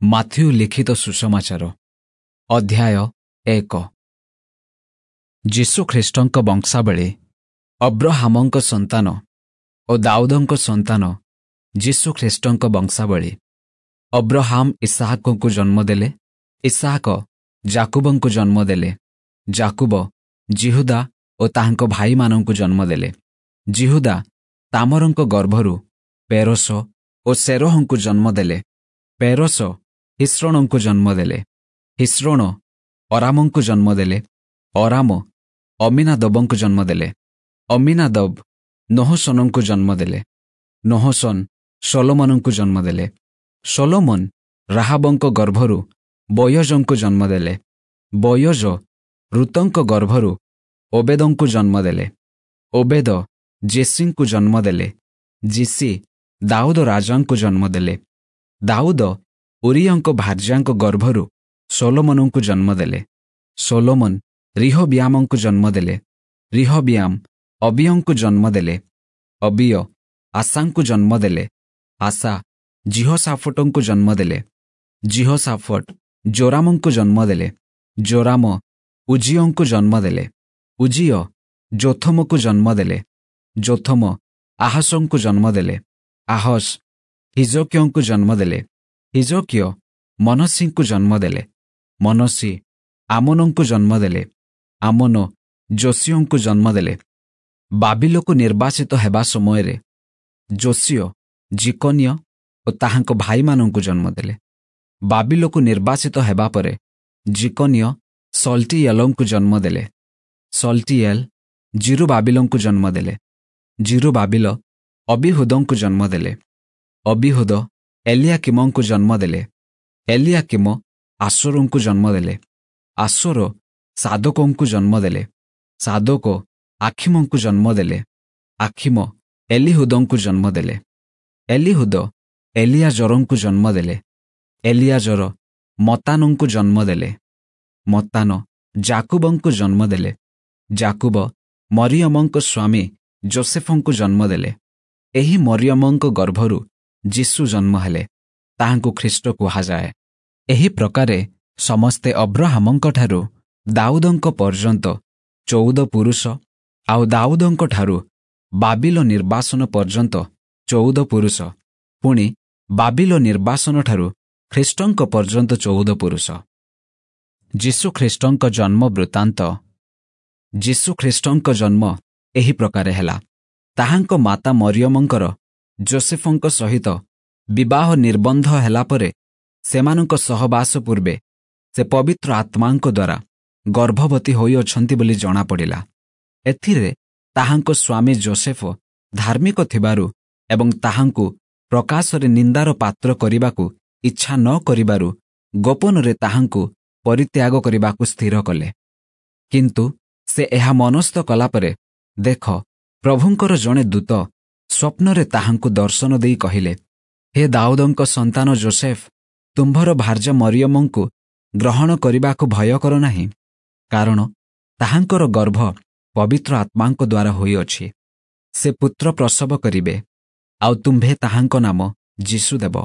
Matthew ଲିଖିତ ସୁସମାଚାର, ଅଧ୍ୟାୟ 1। ଯୀଶୁଖ୍ରୀଷ୍ଟଙ୍କ ବଂଶାବଳୀ। ଅବ୍ରହାମଙ୍କ ସନ୍ତାନ ଓ ଦାଉଦଙ୍କ ସନ୍ତାନ ଯୀଶୁଖ୍ରୀଷ୍ଟଙ୍କ ବଂଶାବଳୀ। ଅବ୍ରହାମ ଇସାହାକଙ୍କୁ ଜନ୍ମ ଦେଲେ, ଇସାହାକ ଯାକୁବଙ୍କୁ ଜନ୍ମ ଦେଲେ, ଯାକୁବ ଯିହୁଦା ଓ ତାହାଙ୍କ ଭାଇମାନଙ୍କୁ ଜନ୍ମ ଦେଲେ। ଯିହୁଦା ତାମରଙ୍କ ଗର୍ଭରୁ ପେରସ ଓ ସେରହଙ୍କୁ ଜନ୍ମ ଦେଲେ। ପେରସ ହିସ୍ରୋଣଙ୍କୁ ଜନ୍ମ ଦେଲେ। ହିସ୍ରୋଣ ଅରାମଙ୍କୁ ଜନ୍ମ ଦେଲେ। ଅରାମ ଅମିନାଦବଙ୍କୁ ଜନ୍ମ ଦେଲେ। ଅମିନାଦବ ନହସନଙ୍କୁ ଜନ୍ମ ଦେଲେ। ନହସନ ସଲୋମନଙ୍କୁ ଜନ୍ମ ଦେଲେ। ସଲୋମନ ରାହାବଙ୍କ ଗର୍ଭରୁ ବୟଜଙ୍କୁ ଜନ୍ମ ଦେଲେ। ବୟଜ ଋତଙ୍କ ଗର୍ଭରୁ ଓବେଦଙ୍କୁ ଜନ୍ମ ଦେଲେ। ଓବେଦ ଜେସିଙ୍କୁ ଜନ୍ମ ଦେଲେ। ଯିଶି ଦାଉଦ ରାଜାଙ୍କୁ ଜନ୍ମ ଦେଲେ। ଦାଉଦ ଉରିୟଙ୍କ ଭାର୍ଯ୍ୟାଙ୍କ ଗର୍ଭରୁ ସଲୋମନଙ୍କୁ ଜନ୍ମ ଦେଲେ। ସଲୋମନ ରିହବିୟାମଙ୍କୁ ଜନ୍ମ ଦେଲେ। ରିହବିୟାମ ଅବିୟଙ୍କୁ ଜନ୍ମ ଦେଲେ। ଅବିୟ ଆଶାଙ୍କୁ ଜନ୍ମ ଦେଲେ। ଆଶା ଯିହୋଶାଫଟଙ୍କୁ ଜନ୍ମ ଦେଲେ। ଯିହୋଶାଫଟ ଜୋରାମଙ୍କୁ ଜନ୍ମ ଦେଲେ। ଜୋରାମ ଉଜିୟଙ୍କୁ ଜନ୍ମ ଦେଲେ। ଉଜିୟ ଯୋଥମକୁ ଜନ୍ମ ଦେଲେ। ଯୋଥମ ଆହସଙ୍କୁ ଜନ୍ମ ଦେଲେ। ଆହସ ହିଜକିୟଙ୍କୁ ଜନ୍ମ ଦେଲେ। ହିଜକିୟ ମନସିଙ୍କୁ ଜନ୍ମ ଦେଲେ। ମନସି ଆମନଙ୍କୁ ଜନ୍ମ ଦେଲେ। ଆମନ ଯୋଶିୟଙ୍କୁ ଜନ୍ମ ଦେଲେ। ବାବିଲକୁ ନିର୍ବାସିତ ହେବା ସମୟରେ ଯୋଶିୟ ଜିକନିୟ ଓ ତାହାଙ୍କ ଭାଇମାନଙ୍କୁ ଜନ୍ମ ଦେଲେ। ବାବିଲକୁ ନିର୍ବାସିତ ହେବା ପରେ ଜିକନିୟ ସଲ୍ଟିଏଲଙ୍କୁ ଜନ୍ମ ଦେଲେ। ସଲ୍ଟିଏଲ ଜିରୁବାବିଲଙ୍କୁ ଜନ୍ମ ଦେଲେ। ଜିରୁବାବିଲ ଅବିହୁଦଙ୍କୁ ଜନ୍ମ ଦେଲେ। ଅବିହୁଦ ଏଲିଆକିମଙ୍କୁ ଜନ୍ମ ଦେଲେ। ଏଲିଆକିମ ଆସୋରଙ୍କୁ ଜନ୍ମ ଦେଲେ। ଆସୋର ସାଦୋକଙ୍କୁ ଜନ୍ମ ଦେଲେ। ସାଦୋକ ଆଖିମଙ୍କୁ ଜନ୍ମ ଦେଲେ। ଆଖିମ ଏଲିହୁଦଙ୍କୁ ଜନ୍ମ ଦେଲେ। ଏଲିହୁଦ ଏଲିଆଜରଙ୍କୁ ଜନ୍ମ ଦେଲେ। ଏଲିଆଜର ମତାନଙ୍କୁ ଜନ୍ମ ଦେଲେ। ମତାନ ଯାକୁବଙ୍କୁ ଜନ୍ମ ଦେଲେ। ଯାକୁବ ମରିୟମଙ୍କ ସ୍ୱାମୀ ଯୋସେଫଙ୍କୁ ଜନ୍ମ ଦେଲେ। ଏହି ମରିୟମଙ୍କ ଗର୍ଭରୁ ଯୀଶୁ ଜନ୍ମ ହେଲେ, ତାହାଙ୍କୁ ଖ୍ରୀଷ୍ଟ କୁହାଯାଏ। ଏହି ପ୍ରକାରେ ସମସ୍ତେ ଅବ୍ରହାମଙ୍କଠାରୁ ଦାଉଦଙ୍କ ପର୍ଯ୍ୟନ୍ତ 14 ପୁରୁଷ, ଆଉ ଦାଉଦଙ୍କଠାରୁ ବାବିଲ ନିର୍ବାସନ ପର୍ଯ୍ୟନ୍ତ 14 ପୁରୁଷ, ପୁଣି ବାବିଲ ନିର୍ବାସନଠାରୁ ଖ୍ରୀଷ୍ଟଙ୍କ ପର୍ଯ୍ୟନ୍ତ 14 ପୁରୁଷ। ଯୀଶୁଖ୍ରୀଷ୍ଟଙ୍କ ଜନ୍ମ ବୃତ୍ତାନ୍ତ। ଯୀଶୁଖ୍ରୀଷ୍ଟଙ୍କ ଜନ୍ମ ଏହି ପ୍ରକାରେ ହେଲା। ତାହାଙ୍କ ମାତା ମରିୟମଙ୍କର ଯୋସେଫଙ୍କ ସହିତ ବିବାହ ନିର୍ବନ୍ଧ ହେଲା ପରେ ସେମାନଙ୍କ ସହବାସ ପୂର୍ବେ ସେ ପବିତ୍ର ଆତ୍ମାଙ୍କ ଦ୍ୱାରା ଗର୍ଭବତୀ ହୋଇଅଛନ୍ତି ବୋଲି ଜଣାପଡ଼ିଲା। ଏଥିରେ ତାହାଙ୍କ ସ୍ୱାମୀ ଯୋସେଫ ଧାର୍ମିକ ଥିବାରୁ ଏବଂ ତାହାଙ୍କୁ ପ୍ରକାଶରେ ନିନ୍ଦାର ପାତ୍ର କରିବାକୁ ଇଚ୍ଛା ନ କରିବାରୁ ଗୋପନରେ ତାହାଙ୍କୁ ପରିତ୍ୟାଗ କରିବାକୁ ସ୍ଥିର କଲେ। କିନ୍ତୁ ସେ ଏହା ମନସ୍ଥ କଲା ପରେ ଦେଖ, ପ୍ରଭୁଙ୍କର ଜଣେ ଦୂତ ସ୍ୱପ୍ନରେ ତାହାଙ୍କୁ ଦର୍ଶନ ଦେଇ କହିଲେ, ହେ ଦାଉଦଙ୍କ ସନ୍ତାନ ଯୋସେଫ, ତୁମ୍ଭର ଭାର୍ଯ୍ୟା ମରିୟମଙ୍କୁ ଗ୍ରହଣ କରିବାକୁ ଭୟ କର ନାହିଁ, କାରଣ ତାହାଙ୍କର ଗର୍ଭ ପବିତ୍ର ଆତ୍ମାଙ୍କ ଦ୍ୱାରା ହୋଇଅଛି। ସେ ପୁତ୍ର ପ୍ରସବ କରିବେ, ଆଉ ତୁମ୍ଭେ ତାହାଙ୍କ ନାମ ଯୀଶୁ ଦେବ,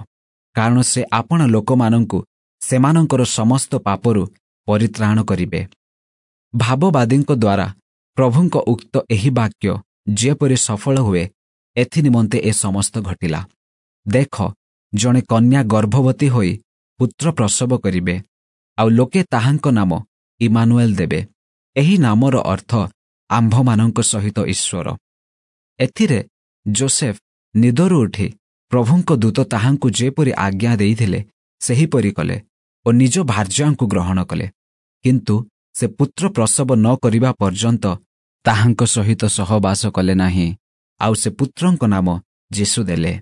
କାରଣ ସେ ଆପଣା ଲୋକମାନଙ୍କୁ ସେମାନଙ୍କର ସମସ୍ତ ପାପରୁ ପରିତ୍ରାଣ କରିବେ। ଭାବବାଦୀଙ୍କ ଦ୍ୱାରା ପ୍ରଭୁଙ୍କ ଉକ୍ତ ଏହି ବାକ୍ୟ ଯେପରି ସଫଳ ହୁଏ, ଏଥି ନିମନ୍ତେ ଏ ସମସ୍ତ ଘଟିଲା। ଦେଖ, ଜଣେ କନ୍ୟା ଗର୍ଭବତୀ ହୋଇ ପୁତ୍ର ପ୍ରସବ କରିବେ, ଆଉ ଲୋକେ ତାହାଙ୍କ ନାମ ଇମାନୁଏଲ ଦେବେ। ଏହି ନାମର ଅର୍ଥ ଆମ୍ଭମାନଙ୍କ ସହିତ ଈଶ୍ୱର। ଏଥିରେ ଯୋସେଫ ନିଦରୁ ଉଠି ପ୍ରଭୁଙ୍କ ଦୂତ ତାହାଙ୍କୁ ଯେପରି ଆଜ୍ଞା ଦେଇଥିଲେ ସେହିପରି କଲେ ଓ ନିଜ ଭାର୍ଯ୍ୟାଙ୍କୁ ଗ୍ରହଣ କଲେ। କିନ୍ତୁ ସେ ପୁତ୍ର ପ୍ରସବ ନ କରିବା ପର୍ଯ୍ୟନ୍ତ ତାହାଙ୍କ ସହିତ ସହବାସ କଲେ ନାହିଁ। ଆଉ ସେ ପୁତ୍ରଙ୍କ ନାମ ଯୀଶୁ ଦେଲେ।